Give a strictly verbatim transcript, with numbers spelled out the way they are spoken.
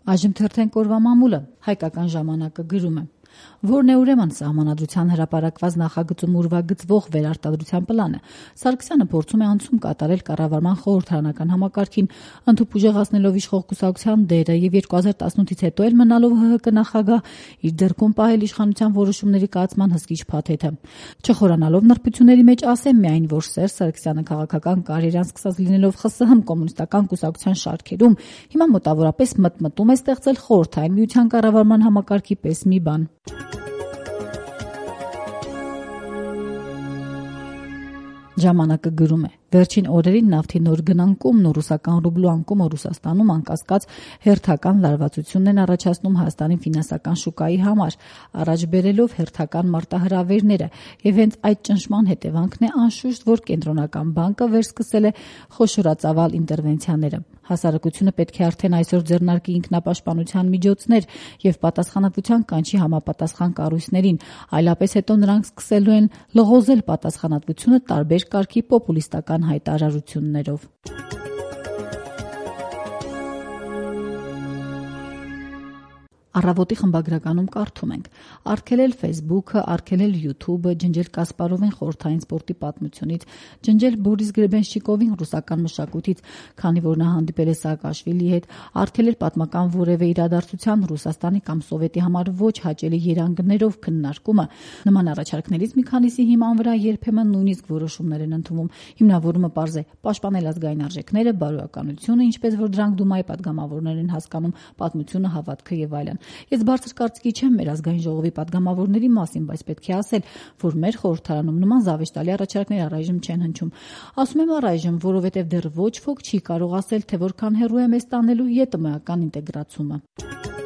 Այժմ թերթենք օրվա մամուլը, հայկական ժամանակը գրում է. Որն է ուրեմն սահմանադրության հրապարակված նախագծում ուրվագծվող վերարտադրության պլանը։ Սարգսյանը փորձում է անցում կատարել կառավարման խորհրդարանական համակարգին, ընդհուպ ուժեղացնելով իշխող կուսակցության դերը եւ երկու հազար տասնութից հետո էլ մնալով ՀՀԿ նախագահ իր ձեռքում պահել իշխանության որոշումների կայացման հսկիչ փաթեթը։ Չխորանալով նրբությունների մեջ ասեմ միայն, որ Սերժ Սարգսյանը քաղաքական կարիերան սկսած լինելով ԽՍՀՄ կոմունիստական կուսակցության շարքերում, հիմա մոտավորապես մտմտում է ստեղծել խորհրդային միության կառավարման համակարգի պես մի բան։ Ժամանակը գրում է. Վերջին օրերին նավթի նոր գնանկումն ու ռուսական ռուբլու անկումը Ռուսաստանում անկասկած հերթական լարվածությունն են առաջացնում Հայաստանի ֆինանսական շուկայի համար, առաջ բերելով հերթական մարտահրավերները, եւ հենց այդ ճնշման հետևանքն է անշուշտ, որ կենտրոնական բանկը վերսկսել է խոշորածավալ ինտերվենցիաները։ Հասարակությունը պետք է արդեն այսօր ձեռնարկի ինքնապաշտպանության միջոցներ եւ պատասխանատվության կանչի համապատասխան կառույցներին, այլապես հետո նրանք սկսելու են լղոզել պատասխանատվությունը տարբեր կարգի պոպուլիստական հայտարարություններով։ Առավոտի խմբագրականում կարդում ենք. արգելել Facebook-ը, արգելել YouTube-ը, ջնջել Կասպարովին խորհրդային սպորտի պատմությունից, ջնջել Բորիս Գրեբենշչիկովին ռուսական մշակույթից, քանի որ նա հանդիպել է Սաակաշվիլիի հետ, արգելել պատմական որևէ իրադարձության Ռուսաստանի կամ Սովետի համար ոչ հաճելի երանգներով քննարկումը։ Նման առաջարկներից մի քանիսի հիման վրա երբեմն նույնիսկ որոշումներ են ընդունվում։ Հիմնավորումը պարզ է՝ պաշտպանել ազգային արժեքները, բարոյականությունը, ինչպես որ դրանք Դումայի պատգամավորներ են հասկանում, պատմությունը, հավատքը եւ այլն։ Ես բարձր կարծիքի չեմ մեր ազգային ժողովի պատգամավորների մասին, բայց պետք է ասել, որ մեր խորհրդարանում նման զավեշտալի առաջարկներ առայժմ չեն հնչում։ Ասում եմ առայժմ, որովհետև դեռ ոչ ոք չի կարող ասել, թե որքան հեռու է մեզ տանելու ԵՏՄ-ական ինտեգրացումը։